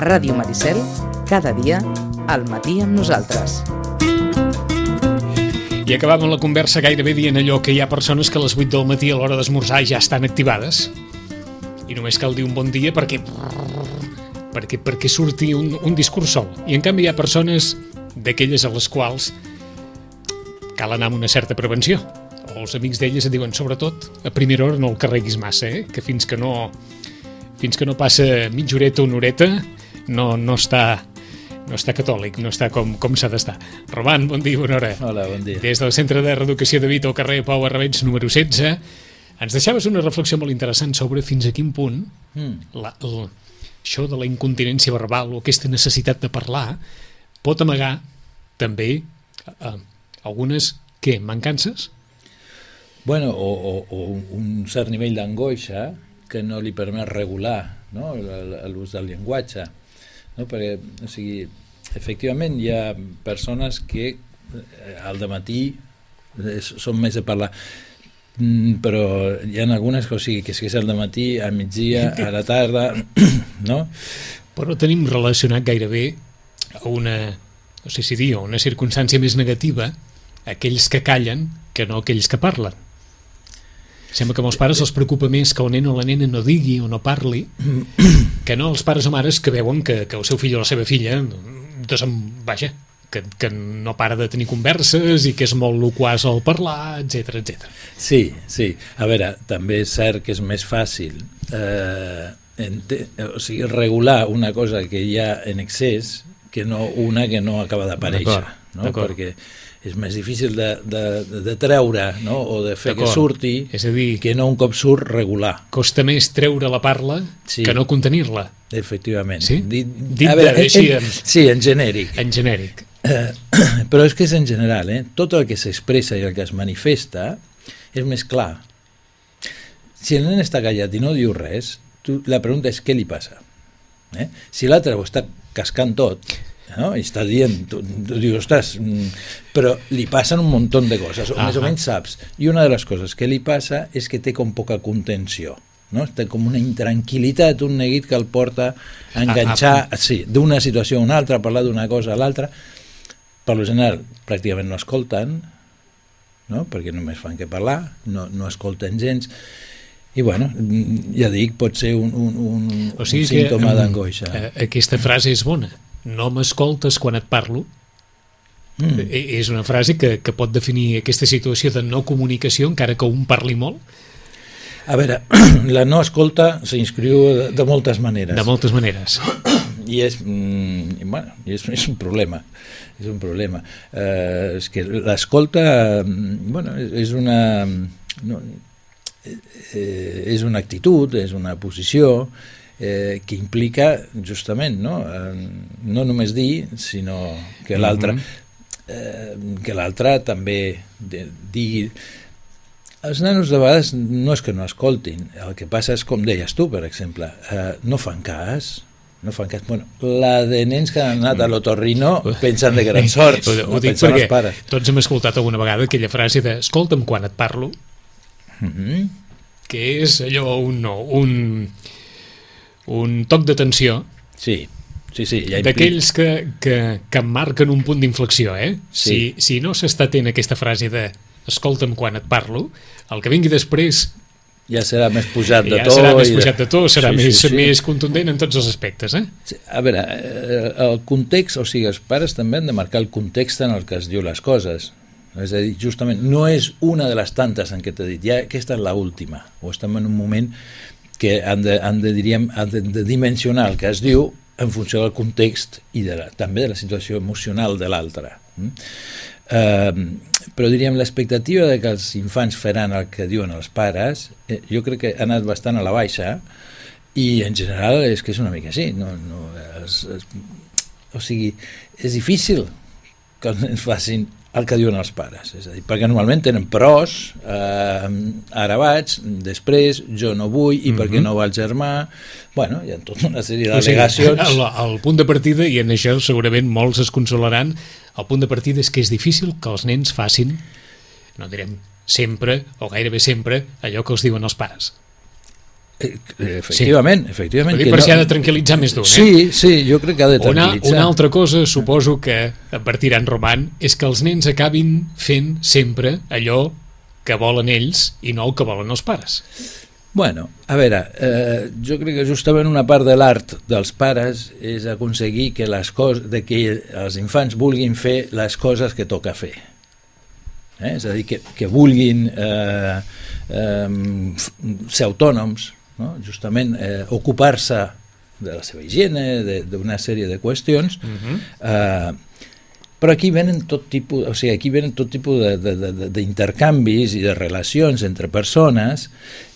Ràdio Maricel, cada dia, al matí amb nosaltres. I acabàvem la conversa gairebé dient allò que hi ha persones que a les 8 del matí a l'hora d'esmorzar ja estan activades i només cal dir un bon dia perquè surti un discurs sol. I en canvi hi ha persones d'aquelles a les quals cal anar amb una certa prevenció. Els amics d'elles et diuen, sobretot, a primera hora no el carreguis massa, que fins que no passa mitja horeta o una horeta no està catòlic, no està com s'ha d'estar. Roman, bon dia, bona hora. Hola, bon dia. Des del Centre de Reeducació de Vita al carrer Pau Arrabens, número 16, ens deixaves una reflexió molt interessant sobre fins a quin punt això de la incontinència verbal o aquesta necessitat de parlar pot amagar també algunes, mancances? Bueno, o un cert nivell d'angoixa que no li permet regular, no, l'ús del llenguatge. No? Perquè, o sigui, efectivament hi ha persones que al dematí són més de parlar, però hi ha algunes que, o sigui, que és al dematí, al migdia, a la tarda, no? Però tenim relacionat gairebé a una, no sé si dir, una circumstància més negativa, aquells que callen que no aquells que parlen. Sembla que a molts pares els preocupa més que el nen o la nena no digui o no parli que no els pares o mares que veuen que el seu fill o la seva filla que no para de tenir converses i que és molt loquaç al parlar, etc etc. Sí. A veure, també és cert que és més fàcil regular una cosa que hi ha en excés que no una que no acaba d'aparèixer, no? Perquè és més difícil de treure, no? O de fer que surti, és a dir, que no un cop surt regular. Costa més treure la parla que no contenir-la. Efectivament. Sí? Sí, en genèric. En genèric. Però és que és en general, tot el que s'expressa i el que es manifesta és més clar. Si el nen està callat i no diu res, la pregunta és què li passa. Si l'altre ho està cascant tot, no? I està dient, tu dius, ostres, però li passen un munt de coses, o més o menys saps. I una de les coses que li passa és que té com poca contenció, no? Té com una intranquil·litat, un neguit que el porta a enganxar d'una situació a una altra, a parlar d'una cosa a l'altra. Per lo general, pràcticament no escolten, no? Perquè només fan que parlar, no escolten gens. I bueno, ja dic, pot ser un símptoma d'angoixa. Aquesta frase és bona. No m'escoltes quan et parlo. És una frase que pot definir aquesta situació de no comunicació, encara que un parli molt. A veure, la no escolta s'inscriu de moltes maneres. De moltes maneres. I és un problema. És un problema. És que l'escolta, és una actitud, és una posició que implica justament no només dir, sinó que l'altre també digui. Els nanos de vegades no és que no escoltin, el que passa és, com deies tu, per exemple, no fan cas. Bueno, la de nens que han anat a l'otorrino pensen de grans sorts, ho dic perquè tots hem escoltat alguna vegada aquella frase de escolta'm quan et parlo, que és allò un toc d'atenció. Sí, ja d'aquells que marquen un punt d'inflexió, Sí. Si no s'està atent a aquesta frase de escolta'm quan et parlo, el que vingui després ja serà més pujat de to, serà més contundent en tots els aspectes. Sí, a veure, el context, o sigui, els pares també han de marcar el context en el que es diu les coses. És a dir, justament, no és una de les tantes en què t'he dit, ja aquesta és l'última, o estem en un moment que han de dimensionar el que es diu en funció del context i també de la situació emocional de l'altre. Però diríem, l'expectativa de que els infants faran el que diuen els pares, jo crec que ha anat bastant a la baixa, i en general és que és una mica així. O sigui, és difícil que els nens facin el que diuen els pares, és a dir, perquè normalment tenen pros, ara vaig, després jo no vull, i per què no va el germà, bueno, hi ha tota una sèrie d'al·legacions. El punt de partida, i en això segurament molts es consolaran, el punt de partida és que és difícil que els nens facin, no direm sempre o gairebé sempre, allò que els diuen els pares. Efectivament. Per si ha de tranquil·litzar més d'un, Sí, jo crec que ha de tranquil·litzar. Una altra cosa, suposo que advertiran, Roman, és que els nens acabin fent sempre allò que volen ells i no el que volen els pares. Bueno, a veure, jo crec que justament una part de l'art dels pares és aconseguir que que els infants vulguin fer les coses que toca fer. És a dir, que vulguin ser autònoms, no? Justament ocupar-se de la seva higiene, d'una sèrie de qüestions, però aquí venen tot tipus, d'intercanvis i de relacions entre persones.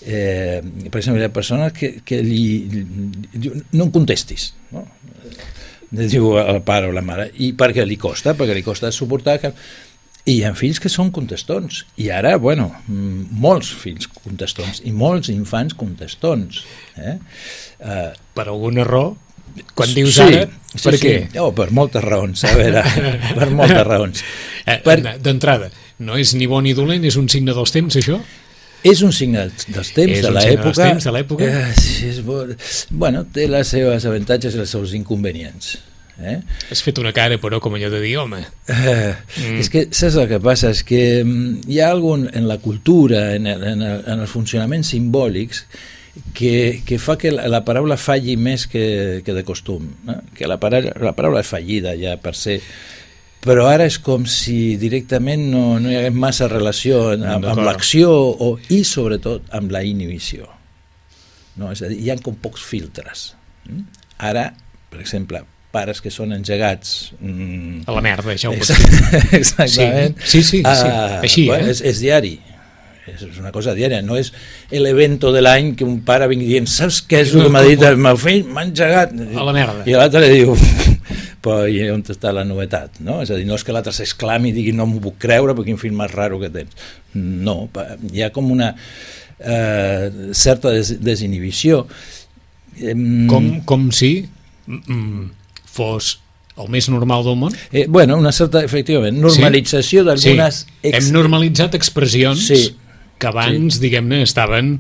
Per exemple, hi ha persones que no em contestis, no? Diu el pare o la mare, i perquè li costa suportar que... I hi ha fills que són contestons, i ara, bueno, molts fills contestons i molts infants contestons. Per alguna raó? Quan dius ara, per què? Per moltes raons, a veure, per moltes raons. D'entrada, no és ni bo ni dolent, és un signe dels temps, això? És un signe dels temps, de l'època. Bueno, té les seves avantatges i els seus inconvenients. Has fet una cara, però, com allò de dir, home. És que, saps el que passa? És que hi ha algun en la cultura, en els funcionaments simbòlics, que fa que la paraula falli més que de costum, no? Que la paraula és fallida ja per ser, però ara és com si directament no hi hagués massa relació amb l'acció i sobretot amb la inhibició, no? És a dir, hi ha com pocs filtres. Ara, per exemple, pares que són engegats a la merda, ja ho pots dir. Exactament. Sí. Així, és diari. És una cosa diària, no és l'evento de l'any que un pare vingui dient, saps què és el que m'ha dit el meu fill? M'ha engegat. A la merda. I l'altre li diu, però i on està la novetat? No? És a dir, no és que l'altre s'exclami i digui no m'ho puc creure perquè quin fill més raro que tens. No, hi ha com una certa desinhibició. Com si fos el més normal del món? Bueno, una certa, efectivament, normalització d'algunes... Hem normalitzat expressions que abans, diguem-ne, estaven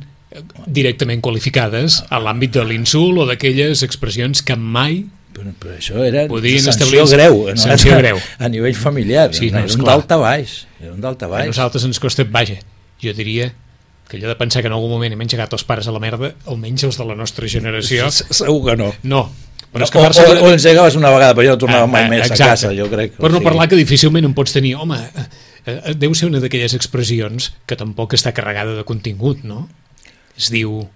directament qualificades a l'àmbit de l'insult o d'aquelles expressions que mai però això era sanció greu a nivell familiar, era un d'alta baix. A nosaltres ens costa, vaja, jo diria que allò de pensar que en algun moment hem engegat els pares a la merda, almenys els de la nostra generació... Segur que no. No. O engegaves una vegada, però jo no tornava mai més a casa, jo crec. Per no parlar que difícilment em pots tenir, home, deu ser una d'aquelles expressions que tampoc està carregada de contingut, no? Es diu...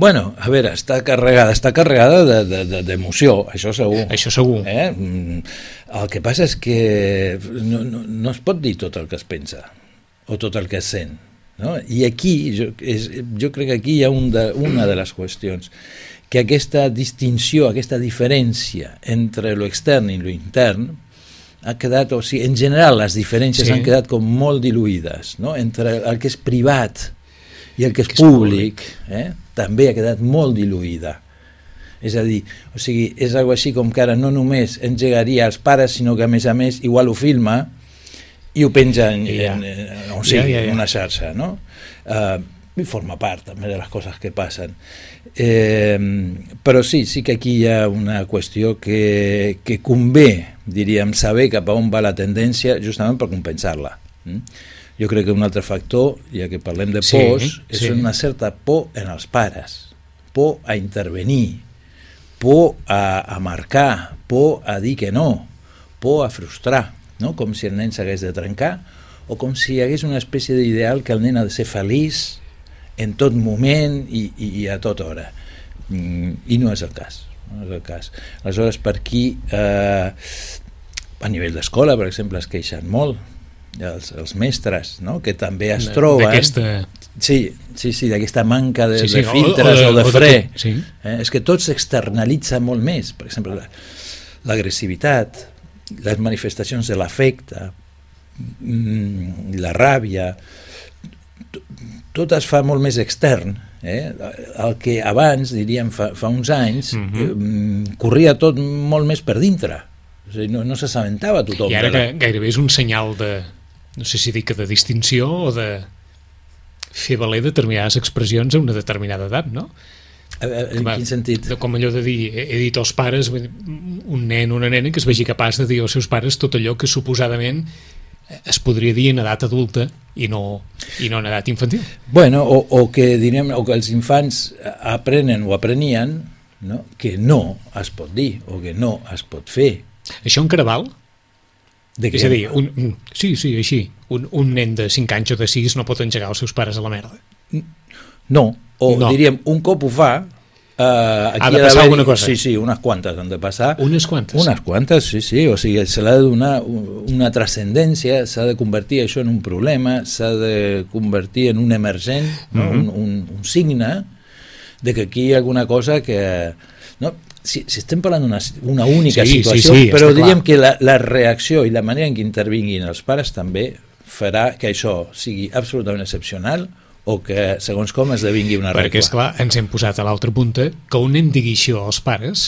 Bueno, a veure, està carregada d'emoció, això segur. Això segur. El que passa és que no es pot dir tot el que es pensa o tot el que es sent, no? I aquí, jo crec que aquí hi ha una de les qüestions, que aquesta distinció, aquesta diferència entre lo extern i lo intern ha quedat, o sigui, en general les diferències han quedat com molt diluïdes, no? Entre el que és privat i el que és públic, també ha quedat molt diluïda. És a dir, o sigui, és algo així com que ara no només engegaria els pares, sinó que a més igual ho filma i ho penja en una xarxa, no? I forma part també de les coses que passen. Però sí que aquí hi ha una qüestió que convé, diríem, saber cap a on va la tendència justament per compensar-la. Jo crec que un altre factor, ja que parlem de pors, és una certa por en els pares, por a intervenir, por a marcar, por a dir que no, por a frustrar, no? Com si el nen s'hagués de trencar o com si hi hagués una espècie d'ideal que el nen ha de ser feliç en tot moment i a tota hora. I no és el cas. Aleshores, per aquí, a nivell d'escola, per exemple, es queixen molt, els mestres, no? Que també es troben... d'aquesta manca de filtres o de fre. És que tot s'externalitza molt més. Per exemple, l'agressivitat, les manifestacions de l'afecte, la ràbia, tot es fa molt més extern. El que abans, diríem, fa uns anys, corria tot molt més per dintre. O sigui, no s'assabentava tothom. I ara gairebé és un senyal de, no sé si dic de distinció o de fer valer determinades expressions a una determinada edat, no? En quin sentit? Com allò de dir, he dit als pares, un nen o una nena que es vegi capaç de dir als seus pares tot allò que suposadament es podria dir en edat adulta i no en edat infantil. Bueno, o que els infants aprenen o aprenien, no? Que no es pot dir o que no es pot fer. Això encara val? És a dir, sí, així. Un nen de 5 anys o de 6 no pot engegar els seus pares a la merda. No, diríem, un cop ho fa, aquí ha de passar alguna cosa. Sí, unes quantes han de passar. Unes quantes? Unes quantes, sí, o sigui, se l'ha de donar una transcendència, s'ha de convertir això en un problema, s'ha de convertir en un emergent, no? un signe de que aquí hi ha alguna cosa que... No? Si estem parlant d'una única situació, però diríem que la reacció i la manera en què intervinguin els pares també farà que això sigui absolutament excepcional o que, segons com, esdevingui una regla. Perquè, esclar, ens hem posat a l'altra punta que un nen digui això als pares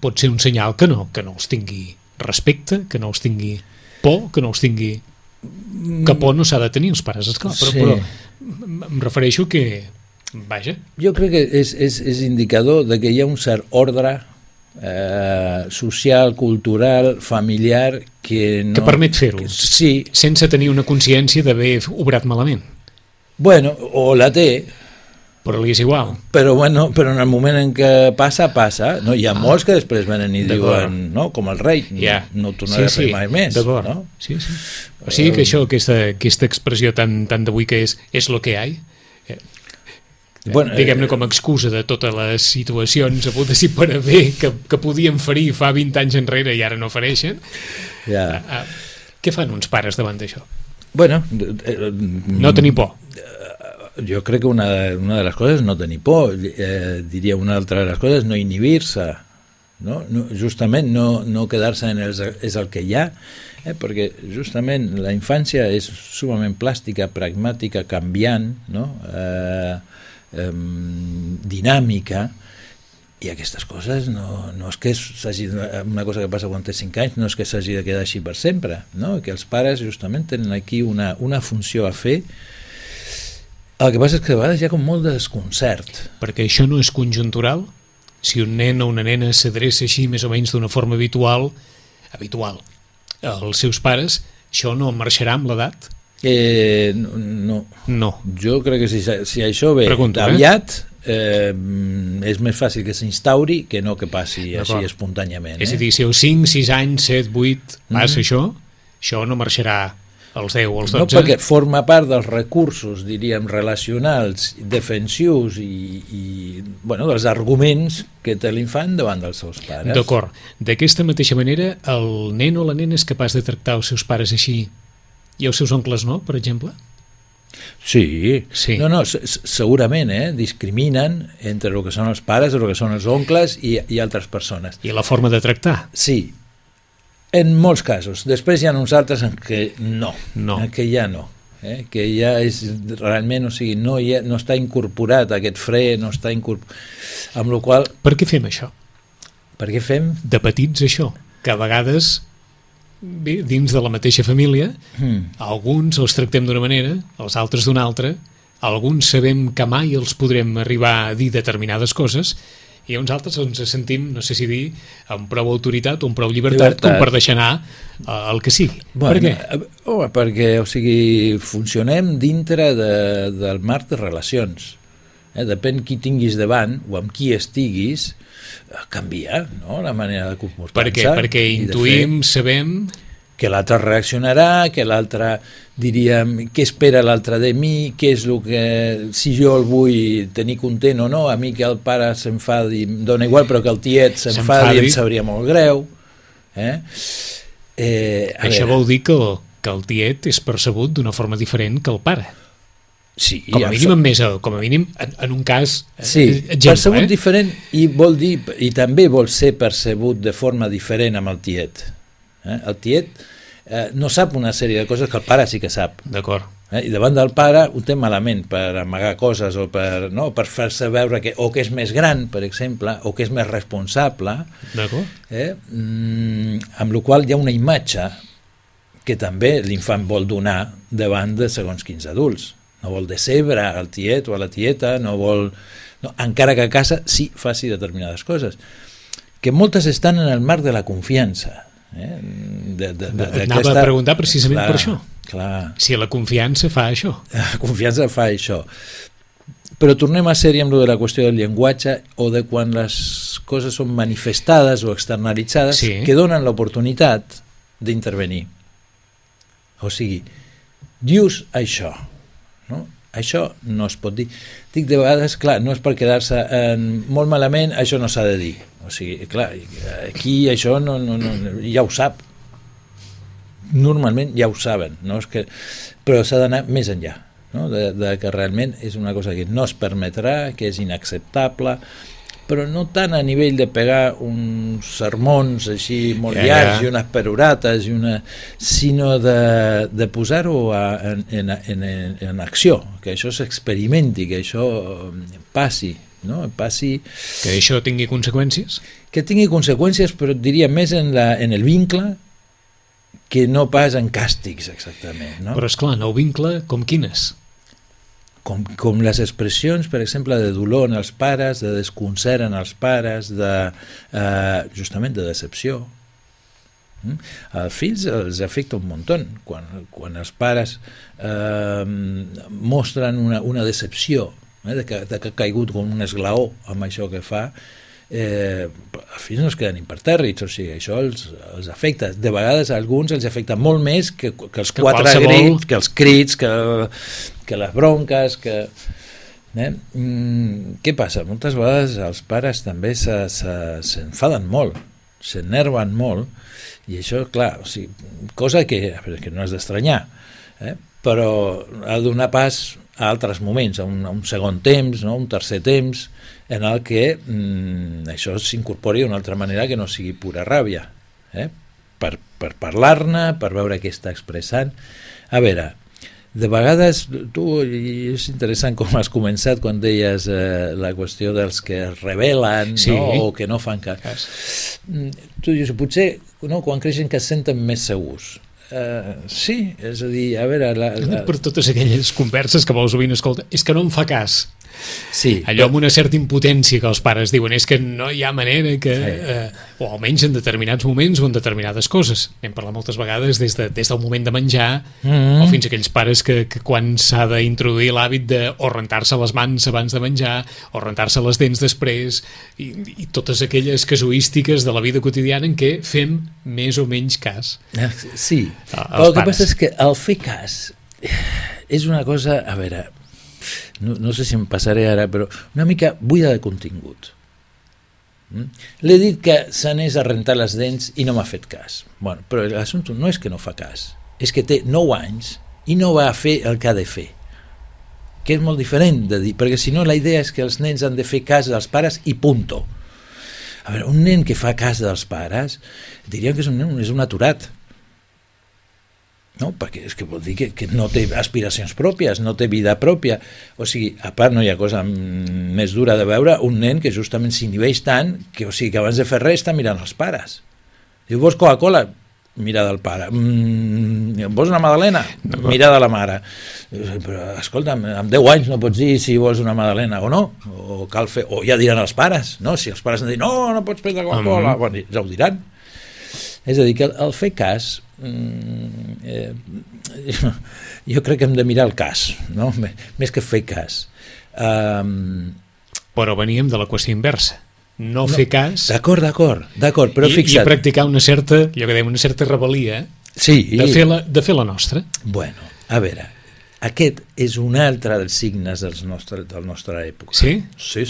pot ser un senyal que no els tingui respecte, que no els tingui por, que no els tingui... Que por no s'ha de tenir els pares, esclar, però em refereixo que... Vaja. Jo crec que és indicador de que hi ha un cert ordre social, cultural, familiar que no... Que permet fer-ho, sí. Sense tenir una consciència d'haver obrat malament. Bueno, o la té, però li és igual. Però en el moment en què passa, no? Hi ha molts que després venen i diuen, no? Com el rei, no ho tornaré a fer mai més. D'acord, no? Sí. O sigui que això, aquesta expressió tan d'avui que és lo que hi ha, diguem-ne com a excusa de totes les situacions hagudes i per haver que podien ferir fa 20 anys enrere i ara no fareixen. Què fan uns pares davant d'això? Bueno, no tenir por. Jo crec que una de les coses és no tenir por, diria una altra de les coses no inhibir-se, no? Justament no quedar-se en és el que hi ha, perquè justament la infància és sumament plàstica, pragmàtica, canviant, no? Dinàmica, i aquestes coses no és que s'hagi, una cosa que passa quan té 5 anys no és que s'hagi de quedar així per sempre, no? Que els pares justament tenen aquí una funció a fer. El que passa és que a vegades hi ha com molt de desconcert. Perquè això no és conjuntural? Si un nen o una nena s'adreça així més o menys d'una forma habitual als seus pares, això no marxarà amb l'edat? No. Jo crec que si això ve aviat és més fàcil que s'instauri que no que passi així espontàniament. És a dir, si als 5, 6 anys, 7, 8 passa això no marxarà als 10 o als 12. No, perquè forma part dels recursos, diríem, relacionals, defensius i dels arguments que té l'infant davant dels seus pares. D'acord. D'aquesta mateixa manera, el nen o la nena és capaç de tractar els seus pares així i els seus oncles no, per exemple? Sí. No, segurament, discriminen entre el que són els pares, el que són els oncles i altres persones. I la forma de tractar? Sí, en molts casos. Després hi ha uns altres en què no. En què ja no. Que ja és realment, o sigui, no està incorporat aquest fre, no està incorporat. Amb la qual... Per què fem això? Per què fem? De petits això, que a vegades... Bé, dins de la mateixa família, alguns els tractem d'una manera, els altres d'una altra, alguns sabem que mai els podrem arribar a dir determinades coses i uns altres ens sentim, no sé si dir, amb prou autoritat o amb prou llibertat com per deixar anar el que sigui. Per què? Perquè, o sigui, funcionem dintre del marc de relacions. Depèn qui tinguis davant o amb qui estiguis, canvia, no?, la manera de comportar-se. Per què? Perquè intuïm, sabem... Que l'altre reaccionarà, que l'altre, diríem, què espera l'altre de mi, què és el que... Si jo el vull tenir content o no, a mi que el pare s'enfadi, em dona igual, però que el tiet s'enfadi em sabria molt greu. Això vol dir que el tiet és percebut d'una forma diferent que el pare. Sí, com a mínim en un cas exemple, percebut diferent i vol dir, i també vol ser percebut de forma diferent amb el tiet. El tiet no sap una sèrie de coses que el pare sí que sap. D'acord. I davant del pare ho té malament per amagar coses o per fer-se veure que és més gran, per exemple, o que és més responsable. D'acord. Amb la qual hi ha una imatge que també l'infant vol donar davant de segons quins adults. no vol decebre al tiet o a la tieta, no vol... No, encara que a casa sí faci determinades coses, que moltes estan en el marc de la confiança. Anava a preguntar precisament per això. Clar. Si la confiança fa això. La confiança fa això. Però tornem a ser-hi amb lo de la qüestió del llenguatge o de quan les coses són manifestades o externalitzades, sí, que donen l'oportunitat d'intervenir. O sigui, dius això, no? Això no es pot dir. Dic, de vegades, clar, no és per quedar-se molt malament, això no s'ha de dir. O sigui, clar, aquí això no, ja ho sap. Normalment ja ho saben, no? És que, però s'ha d'anar més enllà, no? De que realment és una cosa que no es permetrà, que és inacceptable, però no tant a nivell de pegar uns sermons així molt llargs i unes perorates, sinó de posar-ho en acció, que això s'experimenti, que això passi, no? Passi... Que això tingui conseqüències? Que tingui conseqüències, però et diria més en el vincle que no pas en càstigs, exactament. No? Però, esclar, no ho vincle com quines? Com les expressions, per exemple, de dolor en els pares, de desconcert en els pares, justament de decepció. Als fills els afecta un muntó. Quan els pares mostren una decepció, de que ha caigut com un esglaó amb això que fa, els fills no es queden impertèrrits, o sigui, això els afecta. De vegades a alguns els afecta molt més que els quatre grits, que els crits, que les bronques, què passa? Moltes vegades els pares també s'enfaden molt, s'enerven molt, i això, clar, o sigui, cosa que no és d'estranyar, però ha de donar pas a altres moments, a un segon temps, no? Un tercer temps, en el que això s'incorpori d'una altra manera que no sigui pura ràbia, per parlar-ne, per veure què està expressant. A veure, de vegades, és interessant com has començat quan deies la qüestió dels que es rebel·len, sí, no? O que no fan cas. Tu dius, potser quan creixen que es senten més segurs. Sí, és a dir, a veure... Per totes aquelles converses que molt sovint escolta, és que no em fa cas. Sí, allò amb una certa impotència que els pares diuen és que no hi ha manera que... o almenys en determinats moments o en determinades coses. Hem parlat moltes vegades des del moment de menjar o fins a aquells pares que quan s'ha d'introduir l'hàbit de o rentar-se les mans abans de menjar o rentar-se les dents després i totes aquelles casuístiques de la vida quotidiana en què fem més o menys cas. Sí, però el que passa és que el fer cas és una cosa, a veure... No sé si em passaré ara, però una mica buida de contingut. L'he dit que s'anés a rentar les dents i no m'ha fet cas. Bueno, però l'assumpte no és que no fa cas, és que té 9 anys i no va fer el que ha de fer. Que és molt diferent de dir, perquè si no la idea és que els nens han de fer cas dels pares i punto. A veure, un nen que fa cas dels pares, diríem que és un aturat. No? Perquè és que vol dir que no té aspiracions pròpies, no té vida pròpia. O sigui, a part no hi ha cosa més dura de veure un nen que justament s'inhibeix tant que, o sigui, que abans de fer res està mirant els pares. Diu, vols Coca-Cola? Mira del pare. Vols una magdalena? Mira de la mare. Però, escolta'm, amb 10 anys no pots dir si vols una magdalena o no, o cal fer, o ja diran els pares, no? Si els pares han dit, no pots prendre Coca-Cola, bueno, ja ho diran. És a dir, que el fer cas, jo crec que hem de mirar el cas, no? Més que fer cas. Però veníem de la qüestió inversa. No fer cas... D'acord, però fixa't. I practicar una certa, allò que dèiem, una certa rebel·lia, sí, de fer la nostra. Bueno, a veure, aquest és un altre dels signes de la nostra època. Sí? Sí.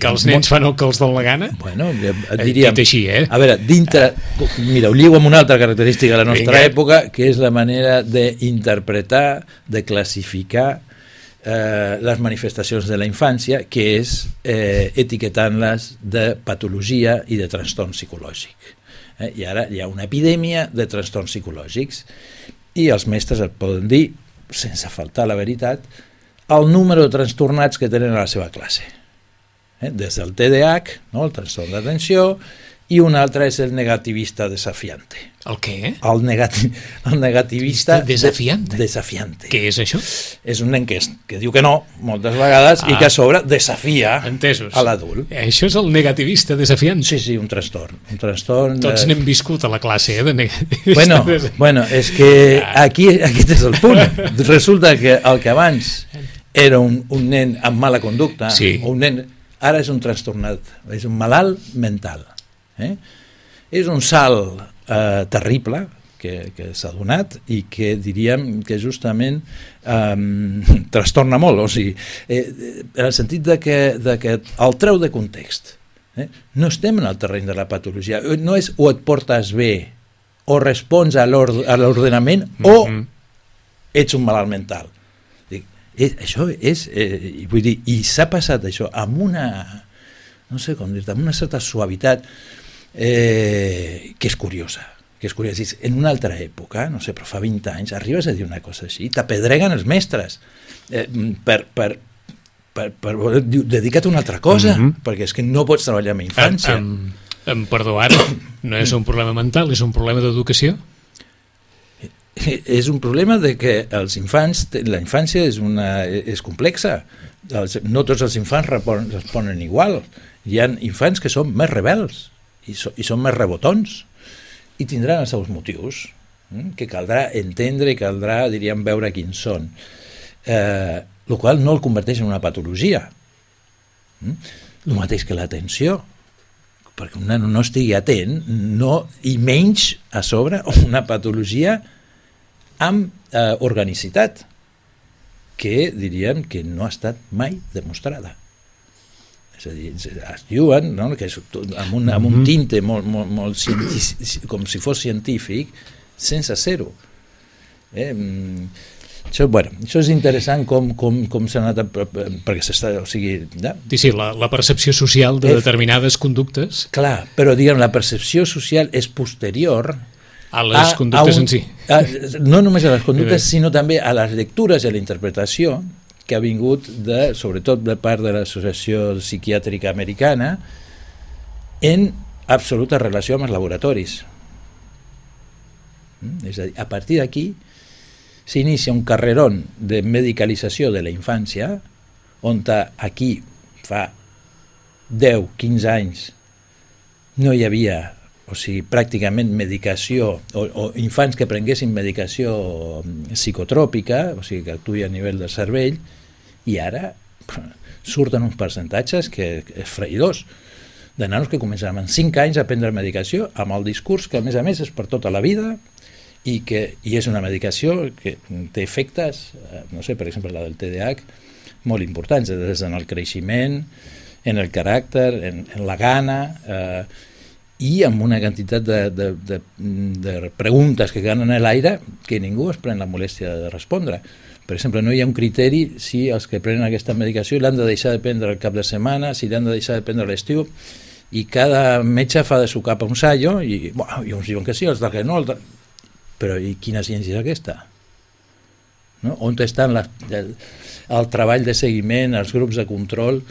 Que els nens fan el que els dona la gana? Bueno, et diria... Dit així, A veure, dintre... Mira, ho lligo amb una altra característica de la nostra època, que és la manera d'interpretar, de classificar les manifestacions de la infància, que és etiquetant-les de patologia i de trastorn psicològic. I ara hi ha una epidèmia de trastorns psicològics i els mestres et poden dir, sense faltar la veritat, el número de trastornats que tenen a la seva classe. Des del TDAH, no, el trastorn d'atenció, i un altre és el negativista desafiante. El què? El negativista desafiante. Desafiante. Què és això? És un nen que diu que no moltes vegades i que a sobre desafia entesos. A l'adult. Això és el negativista desafiant. Sí, un trastorn. Tots n'hem viscut a la classe, de negativista. Bueno, és que aquí és el punt. Resulta que el que abans era un nen amb mala conducta, o un nen, ara és un trastornat, és un malalt mental. És un salt terrible que s'ha donat i que diríem que justament trastorna molt, o sigui, en el sentit de que el treu de context. No estem en el terreny de la patologia, no és o et portes bé o respons a l'ordenament o ets un malalt mental. Això és, vull dir, i s'ha passat això amb una, no sé com dir-te, amb una certa suavitat que és curiosa, en una altra època, no sé, però fa 20 anys arribes a dir una cosa així, t'apedreguen els mestres dedica't a una altra cosa, perquè és que no pots treballar amb infància. Perdó, ara no és un problema mental, és un problema d'educació? És un problema de que els infants, la infància és complexa, no tots els infants responen igual, hi ha infants que són més rebels i són més rebotons i tindran els seus motius que caldrà entendre i caldrà, diríem, veure quins són, el qual no el converteix en una patologia. El mateix que l'atenció, perquè un nen no estigui atent, i menys a sobre una patologia amb organicitat, que diríem que no ha estat mai demostrada. És a dir, es diuen, no?, que és amb un tinte molt científic, com si fos científic, sense ser-ho. Això és interessant com s'ha anat perquè s'està, o sigui... Sí, la percepció social de determinades conductes. Clar, però diguem, la percepció social és posterior a les conductes en si. No només a les conductes, sinó també a les lectures i a la interpretació que ha vingut, sobretot de part de l'Associació Psiquiàtrica Americana, en absoluta relació amb els laboratoris. És a dir, a partir d'aquí s'inicia un carrerón de medicalització de la infància, on aquí fa 10-15 anys no hi havia, o sigui, pràcticament medicació, o infants que prenguessin medicació psicotròpica, o sigui, que actuï a nivell del cervell, i ara surten uns percentatges que esfraïdors, de nanos que comencen amb 5 anys a prendre medicació, amb el discurs que, a més, és per tota la vida, i és una medicació que té efectes, no sé, per exemple, la del TDAH, molt importants, des en el creixement, en el caràcter, en la gana, i amb una quantitat de preguntes que queden en l'aire que ningú es pren la molèstia de respondre. Per exemple, no hi ha un criteri si els que prenen aquesta medicació l'han de deixar de prendre el cap de setmana, si l'han de deixar de prendre l'estiu, i cada metge fa de su cap a un sallo, i uns diuen que sí, els que no, però i quina ciència és aquesta? No? On està el treball de seguiment, els grups de control,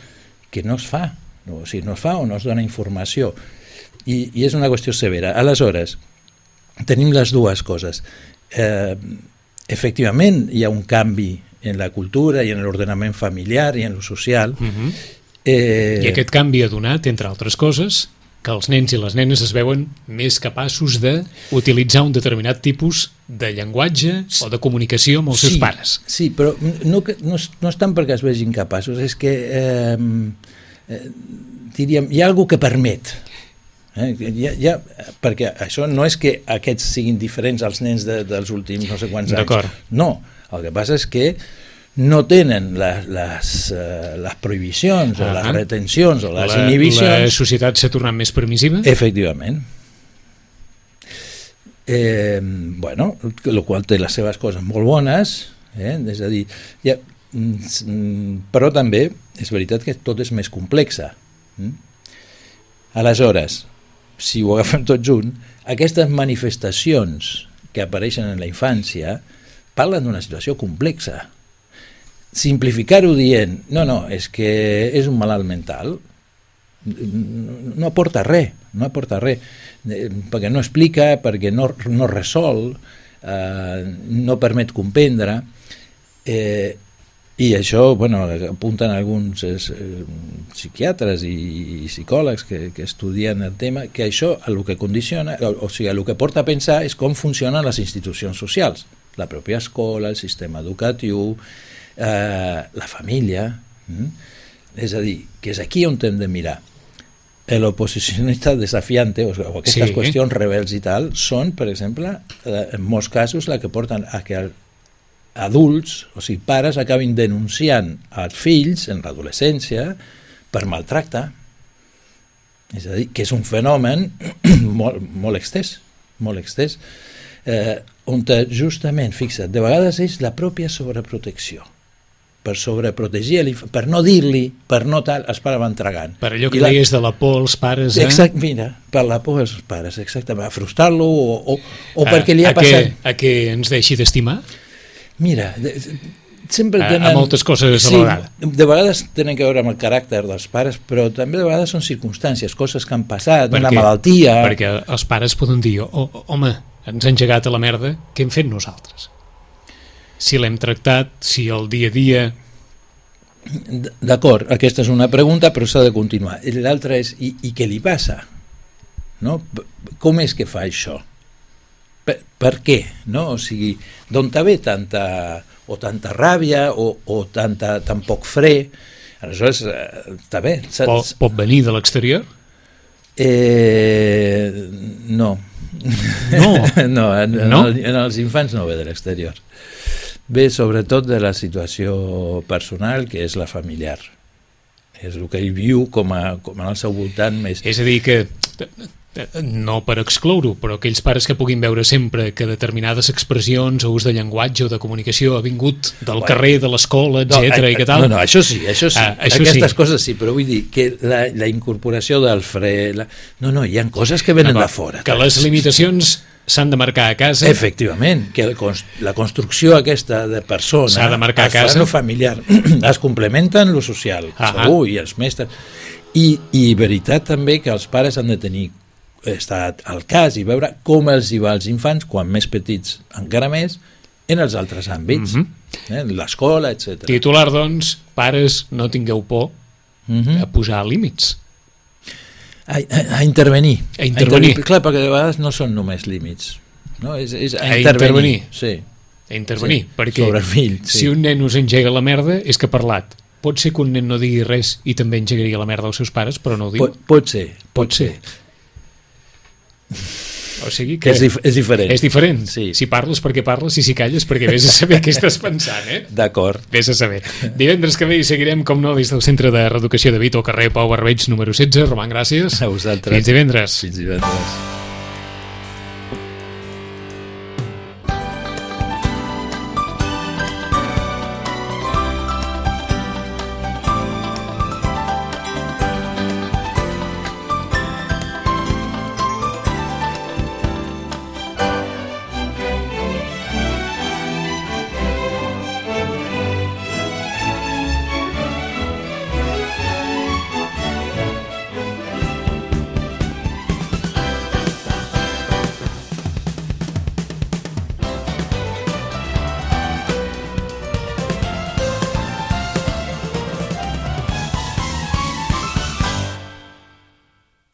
que no es fa, o sigui, no es fa o no es dona informació, i és una qüestió severa. Aleshores, tenim les dues coses. Efectivament, hi ha un canvi en la cultura i en l'ordenament familiar i en lo social. I aquest canvi ha donat, entre altres coses, que els nens i les nenes es veuen més capaços d'utilitzar un determinat tipus de llenguatge o de comunicació amb els seus pares. Sí, però no és tant perquè es vegin capaços, és que diríem, hi ha alguna que permet. Perquè això no és que aquests siguin diferents als nens dels últims no sé quants anys. No, el que passa és que no tenen les prohibicions o les retencions o les inhibicions. La societat s'ha tornat més permissiva? Efectivament. Bueno, el qual té les seves coses molt bones, és a dir, però també és veritat que tot és més complexa. Aleshores, si ho agafem tot junt, aquestes manifestacions que apareixen en la infància parlen d'una situació complexa. Simplificar-ho dient, no, és que és un malalt mental, no aporta res. res, perquè no explica, perquè no resol, no permet comprendre, i això, apunten alguns psiquiatres i psicòlegs que estudien el tema, que això el que condiciona, o sigui, el que porta a pensar és com funcionen les institucions socials, la pròpia escola, el sistema educatiu, la família, és a dir, que és aquí on hem de mirar. L'oposicionista desafiante, o aquestes qüestions rebels i tal, són, per exemple, en molts casos, la que porten a que adults, o sigui, pares, acabin denunciant als fills en l'adolescència per maltracte. És a dir, que és un fenomen molt extès, on justament, fixa't, de vegades és la pròpia sobreprotecció, per sobreprotegir l'infant, per no dir-li, per no tal, els pares van tragant. Per allò que deies de la por als pares, Mira, per la por als pares, exactament, a frustrar-lo o perquè li ha passat... A que ens deixi d'estimar? Mira, sempre tenen... A moltes coses a la vegada. De vegades tenen que veure amb el caràcter dels pares, però també de vegades són circumstàncies, coses que han passat, una malaltia... Perquè els pares poden dir, home, ens ha engegat a la merda, què hem fet nosaltres? Si l'hem tractat, si el dia a dia... D'acord, aquesta és una pregunta, però s'ha de continuar. L'altra és, i què li passa? No? Com és que fa això? Per què? No? O sigui, d'on ve tanta ràbia o tan poc fre? Aleshores, està bé. Pot venir de l'exterior? No. No, en els infants no ve de l'exterior. Ve sobretot de la situació personal, que és la familiar. És el que ell viu com al seu voltant més... És a dir, que no per excloure-ho, però aquells pares que puguin veure sempre que determinades expressions o ús de llenguatge o de comunicació ha vingut del carrer, de l'escola, etc. i que tal... No, això sí. Aquestes coses sí, però vull dir que la incorporació del fre... No, hi ha coses que venen de fora. Que les limitacions s'han de marcar a casa. Efectivament, que la construcció aquesta de persona s'ha de marcar a casa. Es fa lo familiar, es complementa en lo social, segur, i els mestres. I veritat també que els pares han de estar al cas i veure com els hi va als infants, quan més petits encara més, en els altres àmbits, en l'escola, etc. Titular, doncs, pares, no tingueu por a posar límits. A intervenir. A intervenir. Clar, perquè de vegades no són només límits. No? És a intervenir. Sí. A intervenir, perquè sobre el fill, si un nen us engega la merda és que ha parlat. Pot ser que un nen no digui res i també engegaria la merda als seus pares, però no ho diu. Pot ser. O sigui que... És diferent. És diferent. Sí. Si parles perquè parles i si calles perquè vés a saber què estàs pensant, D'acord. Vés a saber. Divendres que ve hi seguirem, com no, des del Centre de Reeducació de Vito, carrer Pau Barbeig, número 16. Roman, gràcies. A vosaltres. Fins divendres. Fins divendres.